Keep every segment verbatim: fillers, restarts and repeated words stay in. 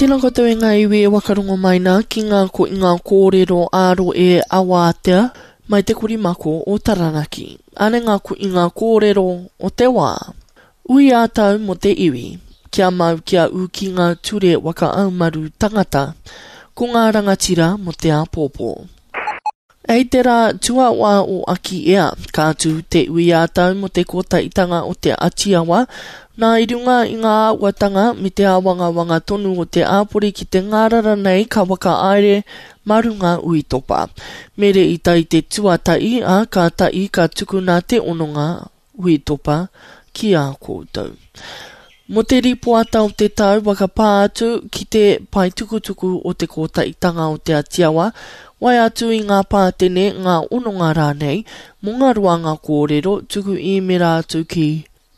Tēnā koutou e ngā iwi e wakarongo mai nā ki ngā ko i ngā kōrero āro e awātea mai te korimako o Taranaki. Ane ngā ko i ngā kōrero o te wā. Ui ā tau mo te iwi. Kia mau kia ū ki ngā ture waka aumaru tangata. Ko ngā rangatira mo te āpōpō. Ei te rā tuawā o Aki Ea, ka tū te ui ā tau mo te kōtaitanga o te Atiawa, nā i runga i ngā āhuatanga me te āwangawanga tonu o te āpori ki te ngārara nei ka whakahaere mā runga uitopa. Mere i tai te tuatahi, ā, ka tahi ka tukuna te hononga uitopa ki a koutou. Mō te ripoata o te tau whakapā atu ki te pae tukutuku o te kōtaitanga o te Atiawa, wae atu i ngā pātene, ngā hononga rānei, mō ngā roanga kōrero, tuku īmera atu ki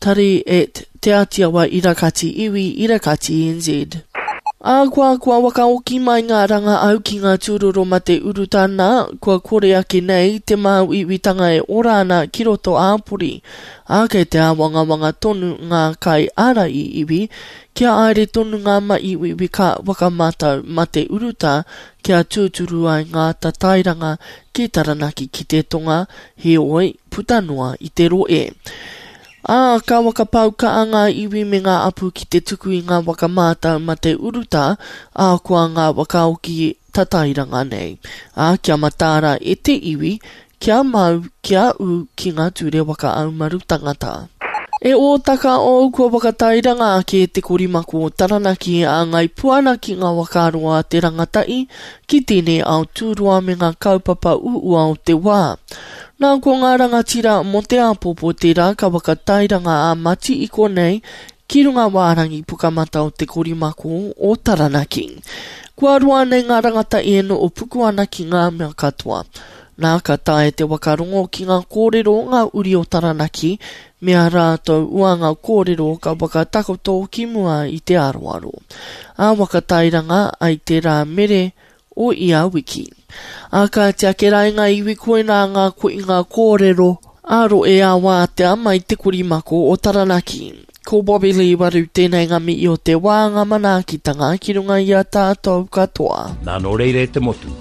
tari at te atiawa irakati iwi irakati N Z. Ā, kua kua wakaoki mai ngā ranga au ki ngā tūroro mate urutā nā, kua kore ake nei te māuiuitanga e ora ana ki roto āpori, ā, kei te āwangawanga tonu ngā kai ārai iwi, kia haere tonu ngā māuiui ka whakamātau mate urutā kia tūturu ai ngā tatairanga ki Taranaki ki te tonga, heoi, puta noa i te rohe. Ā, ka whakapau kaha ngā iwi me ngā apu ki te tuku i ngā waka mātau mate urutā, ā, koa ngā whakaoki tatairanga nei. Ā, kia mataara e te iwi, kia mau, kia ū ki ngā ture waka aumaru tangata. E ōtaka ou kua whakatairanga ake te korimako o Taranaki a Ngai Puana ki ngā whakaaro a te rangatahi ki tēnei ao tūroa me ngā kaupapa uua o te wā. Nā ko ngā rangatira mō te āpōpō tērā ka whakatairanga a Mati i konei ki runga wārangi pukamata o te korimako o Taranaki. Kua roa nei ngā rangatahi e noho puku ana ki ngā mea katoa. Nā ka taea te whakarongo ki ngā kōrero o ngā uri o Taranaki me ā rātou uanga kōrero ka whakatakoto ki mua i te aroaro. Ā whakatairanga ai te rā mere o ia wiki. Ā kāti ake rā i ngā iwi koinā ngā koinga kōrero ā rohe ā wātea mai te korimako o Taranaki. Ko Bobby Lee Waru tēnei ngā mihi o te wā ngā manaakitanga ki runga i a tātou katoa. Nā nō reira e te motu,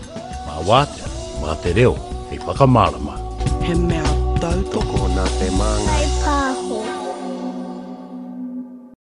mā wātea, mā te reo, hei whakamārama. He mea tautoko Tokona te māngai.